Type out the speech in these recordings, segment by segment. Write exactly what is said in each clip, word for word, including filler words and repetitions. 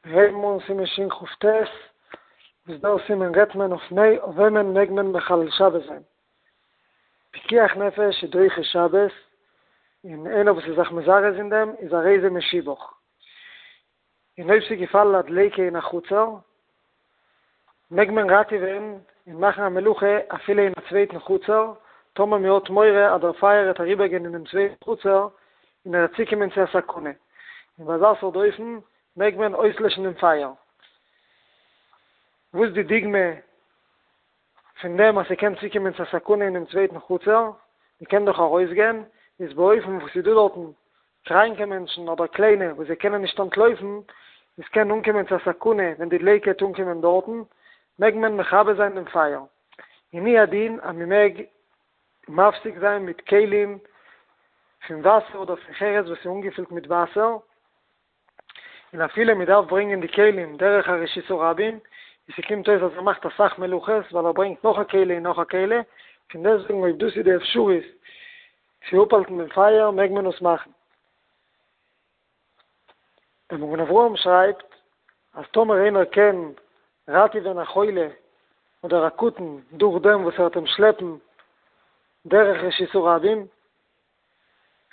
מיר הייבן אן סימן שכ"ט, וואס דער סימן רעדט מען אויף אויף וועמען מעג מען מחלל שבת זיין. פיקוח נפש איז דוחה שבת, און איינער וואס איז זיך מזרז אין דעם איז הרי זה משובח. און אויב ס'איז געפאלן א דליקה אין א חצר, מעג מען ראטעווען און מאכן א מלאכה אפילו אין א צווייטן חצר, טאמער מען האט מורא אז דער פייער וועט אריבערגיין אינעם צווייטן חצר און ער וועט צוקומען צו א סכנה. און ביי אזא סארט אופן מעג מען אויסלעשן דעם פייער. וואס די דוגמא פון דעם אז ס'קען צוקומען צו א סכנה אינעם צווייטן חצר, מ'קען דאך ארויסגיין, איז באופן וואס ס'איז דא דארטן קראנקע מענטשן אדער קליינע וואס זיי קענען נישט אנטלויפן, עס קען אנקומען צו א סכנה ווען די דליקה וועט אנקומען דארטן, מעג מען מכבה זיין דעם פייער. און הוא הדין אז מ'מעג מפסיק זיין מיט כלים פון וואסער אדער פון חרס וואס איז אנגעפילט מיט וואסער, און אפילו מען דארף ברענגען די כלים דורך א רשות הרבים, און ס'קומט אויס אז ער מאכט אסאך מלאכות ווייל ער ברענגט נאך א כלי און נאך א כלי, פון דעסטוועגן אויב דאס איז די אפשרות צו אפהאלטן דעם פייער מעג מען עס מאכן. דער מגן אברהם שרייבט אז טאמער איינער קען ראטעווען א חולה אדער א קטן דורך דעם וואס ער וועט אים שלעפן דורך רשות הרבים,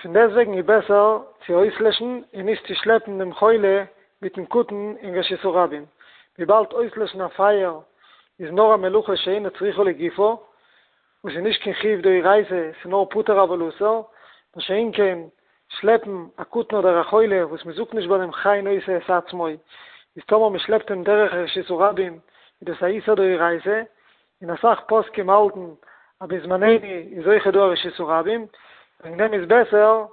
פון דעסטוועגן איז בעסער צו אויסלעשן און נישט צו שלעפן דעם חולה מיטן קטן אין רשות הרבים, וויבאלד אויסלעשן א פייער איז נאר א מלאכה שאינה צריכה לגופה, וואס איז נישט קיין חיוב דאורייתא, ס'איז נאר פטור אבל אסור, מה שאין כן שלעפן א קטן אדער א חולה וואס מ'זאגט נישט ביי דעם חי נושא את עצמו, איז טאמער מ'שלעפט אים דורך רשות הרבים איז דאס א איסור דאורייתא, און אסאך פוסקים האלטן אז בזמנינו איז אויכעט דא א רשות הרבים, וועגן דעם איז בעסער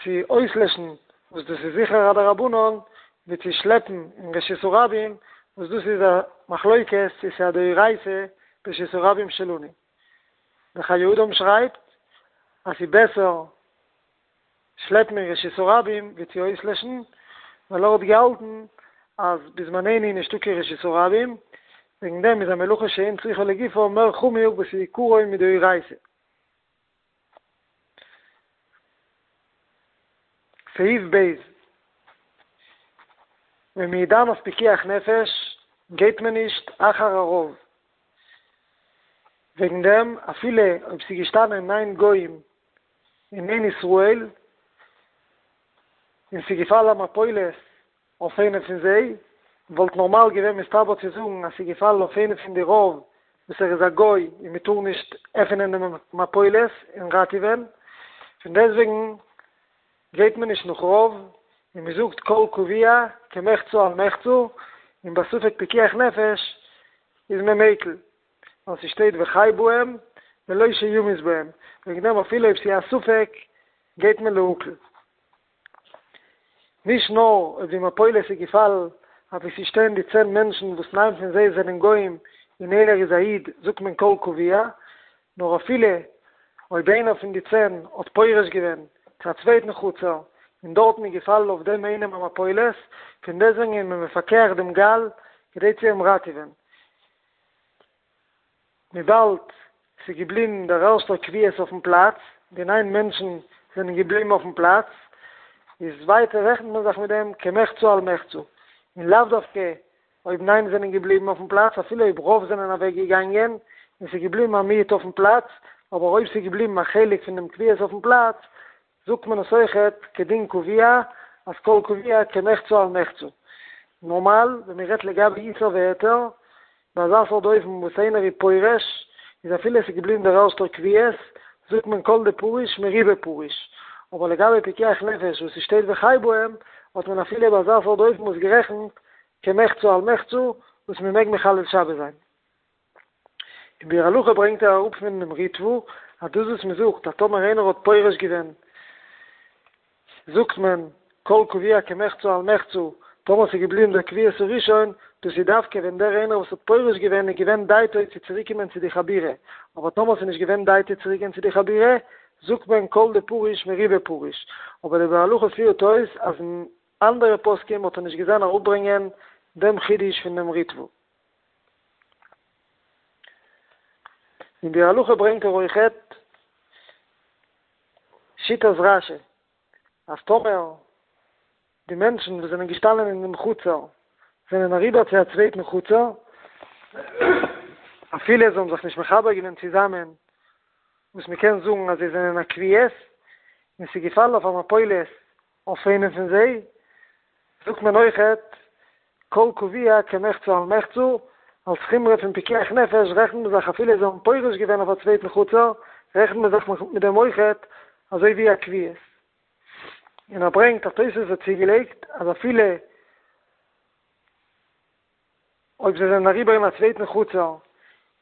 צו אויסלעשן וואס דאס איז זיכער א דרבנן, ווי צו שלעפן אין רשות הרבים וואס דאס איז א מחלוקת צו ס'איז א דאורייתא ברשות הרבים שלנו. דער חיי אדם שרייבט אז ס'איז בעסער שלעפן אין רשות הרבים ווי צו אויסלעשן, ווייל ער האט געהאלטן אז בזמנינו איז נישטא קיין רשות הרבים, וועגן דעם איז א מלאכה שאין צריכה לגופה מער חמור וואס איז עיקרו מדאורייתא. סעיף ב', ווען מ'איז דן אויף פיקוח נפש גייט מען נישט אחר הרוב, וועגן דעם אפילו אויב ס'איז געשטאנען ניין גוים און איין ישראל, און ס'איז געפאלן א מפולת אויף איינע פון זיי, וואלט נארמאל געווען מסתבר צו זאגן אז ס'איז געפאלן אויף איינע פון די רוב וואס ער איז א גוי און מ'טאר נישט עפענען דעם מפולת און ראטעווען, פון דעסטוועגן גייט מען נישט נאך רוב און מ'זאגט כל קבוע כמחצה על מחצה, און בספק פיקוח נפש איז מען מיקל. ווייל ס'שטייט וחי בהם ולא שימות בהם, וועגן דעם אפילו אויב ס'איז א ספק גייט מען להקל. נישט נאר אויב די מפולת איז געפאלן אוואו ס'שטייען די צען מענטשן וואס ניין פון זיי זענען גוים און איינער איז א איד זאגט מען כל קבוע, נאר אפילו אויב איינער פון די צען האט פורש געווען צו א צווייטן חצר און דארטן איז געפאלן אויף דעם איינעם א מפולת, פון דעסטוועגן איז מען מפקח דעם גל כדי צו אים ראטעווען. וויבאלד ס'איז געבליבן דער ערשטער קביעות אויפן פלאץ, די ניין מענטשן זענען געבליבן אויפן פלאץ, איז ווייטער רעכנט מען זיך מיט דעם כמחצה על מחצה, און לאו דווקא אויב ניין זענען געבליבן אויפן פלאץ, אפילו אויב רוב זענען אוועק געגאנגען און ס'איז געבליבן א מיעוט אויפן פלאץ, אבער אויב ס'איז געבליבן א חלק פון דעם קביעות אויפן פלאץ, זאגט מען עס אויכעט כדין קבוע, אז כל קבוע כמחצה על מחצה. נארמאל ווען מען רעדט לגבי איסור והיתר, ביי אזא סארט אופן וואס איינער איז פורש, איז אפילו עס איז געבליבן דער ערשטער קביעות, זאגט מען כל דפריש מרובא פריש. אבער לגבי פיקוח נפש וואס ס'שטייט וחי בהם, האט מען אפילו ביי אזא סארט אופן עס גערעכנט כמחצה על מחצה וואס מען מעג מחלל שבת זיין. אין ביאור הלכה ברענגט ער אראפ פונעם ריטב"א אז דאס וואס מען זאגט אז טאמער איינער האט פורש געווען זאגט מען כל קבוע כמחצה על מחצה טאמער ס'איז געבליבן דער קביעות הראשון, דאס איז דווקא ווען דער איינער וואס האט פורש געווען איז געווען דעתו צו צוריקקומען צו די חבורה, אבער טאמער ס'איז נישט געווען דעתו צוריקגיין צו די חבורה זאגט מען כל דפריש מרובא פריש, אבער דער ביאור הלכה פירט אויס אז אין אנדערע פוסקים האט ער נישט געזען אראפברענגען דעם חידוש פון דעם ריטב"א. אין ביאור הלכה ברענגט ער אויכעט שיטת רש"י אז טאמער די מענטשן וואס זענען געשטאנען אין דעם חצר זענען אריבער צו א צווייטן חצר, אפילו זיי האבן זיך נישט מחבר געווען צוזאמען, וואס מען קען זאגן אז זיי זענען א קביעות, און ס'איז געפאלן אויף א מפולת אויף איינעם פון זיי, זאגט מען אויכעט כל קבוע כמחצה על מחצה, אלס חומרא פון פיקוח נפש רעכנט מען זיך אפילו זיי האבן פורש געווען אויף א צווייטן חצר, רעכנט מען זיך מיט דעם אויכעט אזוי ווי א קביעות. און ער ברענגט אז תוספות האט צוגעלייגט אז אפילו אויב זיי זענען אריבער אין א צווייטן חצר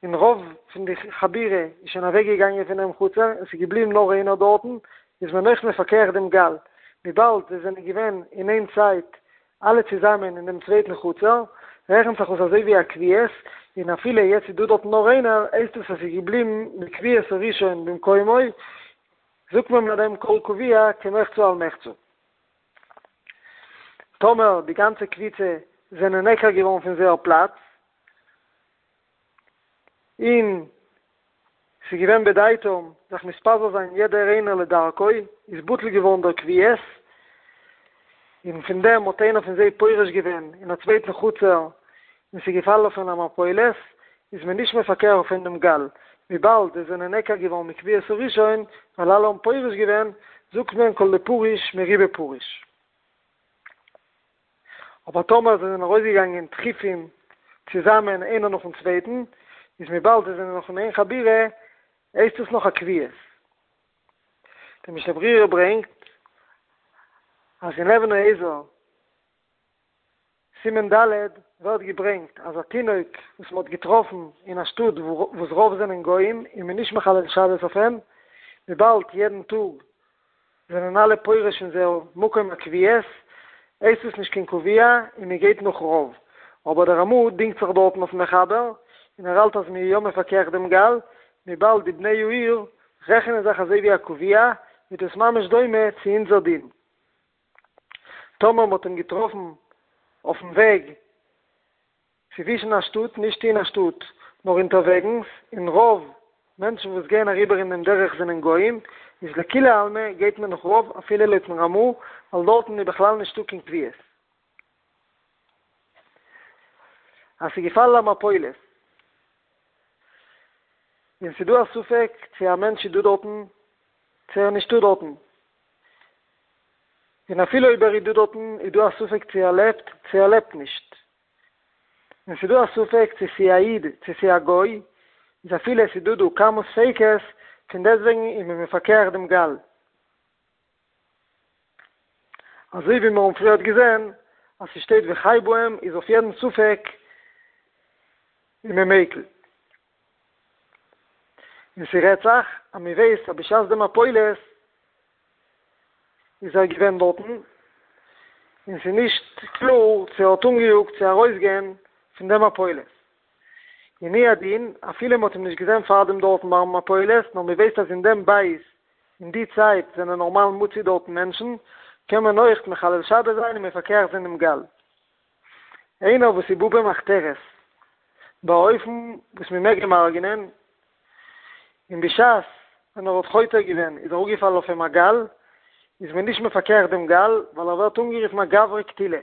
און רוב פון די חבורה איז שוין אוועק געגאנגען פון דעם חצר און ס'איז געבליבן נאר איינער דארטן, איז מען אויך מפקח דעם גל, וויבאלד זיי זענען געווען אין איין צייט אלע צוזאמען אין דעם צווייטן חצר, רעכנט זיך עס אזוי ווי א קביעות, און אפילו יעצט איז דא דארטן נאר איינער, הייסט עס אז ס'איז געבליבן בקביעות הראשון במקומו, זאגט מען ביי דעם כל קבוע כמחצה על מחצה. טאמער די גאנצע קבוצה זענען נעקר געווארן פון זייער פלאץ, און ס'איז געווען בדעתם זיך מתפזר זיין יעדער איינער לדרכו, איז בטל געווארן דער קביעות, און פון דעם האט איינער פון זיי פורש געווען אין א צווייטן חצר, און ס'איז געפאלן אויף אים א מפולת, איז מען נישט מפקח אויף אים דעם גל, וויבאלד זיי זענען נעקר געווארן מקביעות הראשון, ווייל אלע האבן פורש געווען, זאגט מען כל דפריש מרובא פריש. אבער טאמער זיי זענען ארויסגעגאנגען תכיפים צוזאמען איינער נאכן צווייטן, איז וויבאלד זיי זענען נאך אין איין חבורה, הייסט עס נאך א קביעות. די משנה ברורה ברענגט אז אין אבן העזר סימן ד' ווערט געברענגט אז א תינוק וואס מען האט געטראפן אין א שטאט וואס רוב זענען גוים איז מען נישט מחלל שבת אויף אים, וויבאלד יעדן טאג זענען אלע פורש פון זייער מקום הקביעות, הייסט עס נישט קיין קבוע און מען גייט נאך רוב. אבער דער רמ"א דינגט זיך דארטן אויפן מחבר און ער האלט אז מען איז יא מפקח דעם גל, וויבאלד די בני העיר רעכענען זיך אזוי ווי א קבוע, איז דאס ממש דומה צו אונזער דין. טאמער מען האט אים געטראפן אויפן וועג צווישן א שטאט, נישט אין א שטאט, נאר אונטערוועגנס, און רוב מענטשן וואס גייען אריבער אין דעם דרך זענען גויים, איז לכולי עלמא גייט מען נאך רוב אפילו לויטן רמ"א, ווייל דארטן איז בכלל נישטא קיין קביעות. אז ס'איז געפאלן א מפולת, און ס'איז דא א ספק צו א מענטש איז דא דארטן, צו ער איז נישטא דארטן, און אפילו אויב ער איז דא דארטן איז דא א ספק צו ער לעבט צו ער לעבט נישט, און ס'איז דא א ספק צו ס'איז א איד צו ס'איז א גוי, איז אפילו עס איז דא דא כמה ספיקות, פון דעסטוועגן איז מען מפקח דעם גל. אזוי ווי מיר האבן פריערט געזען אז ס'שטייט וחי בהם איז אויף יעדן ספק איז מען מיקל. און ס'רעדט זיך אז מ'ווייסט אז בשעת די מפולת איז ער געווען דארטן, און ס'איז נישט קלאר צו ער האט אנגעיאגט צו ארויסגיין פון די מפולת. און הוא הדין, אפילו מ'האט אים נישט געזען פארדעם דארטן ביים מפולת, נאר מ'ווייסט אז אין דעם בית אין די צייט זענען נארמאל מצוי דארטן מענטשן, קען מען אויכט מחלל שבת זיין און מפקח זיין דעם גל. איינער וואס איז בא במחתרת, באופן וואס מ'מעג אים הרג'נען, און בשעת ווען ער האט חותר געווען איז אראפגעפאלן אויף אים א גל, איז מען נישט מפקח דעם גל, ווייל ער ווערט אנגערופן א גברא קטילא,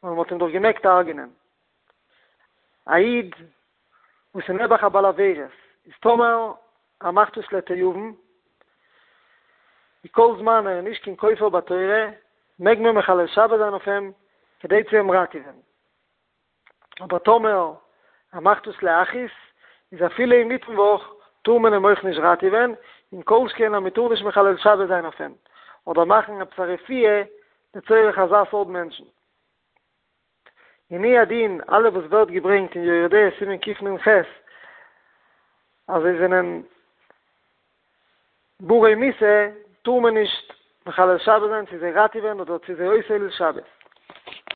ווייל מ'האט אים דאך געמעגט הרג'נען. א איד וואס איז נעבעך א בעל עבירות, איז טאמער ער מאכט עס לתיאבון, ווי כל זמן ער איז נישט קיין כופר בתורה, מעג מען מחלל שבת זיין אויף אים כדי צו אים ראטעווען. אבער טאמער ער מאכט עס להכעיס, איז אפילו אינמיטן וואך טאר מען אים אויך נישט ראטעווען, און כל שכן אז מען טאר נישט מחלל שבת זיין אויף אים, אדער מאכן עפעס א רפואה לצורך אזא סארט מענטשן. און הוא הדין, אלע וואס ווערט געברענגט אין יורה דעה סימן קנ"ח אז זיי זענען ברי מיתה, טאר מען נישט מחלל שבת זיין צו זיי ראטעווען אדער צו זיי אויסהיילן שבת.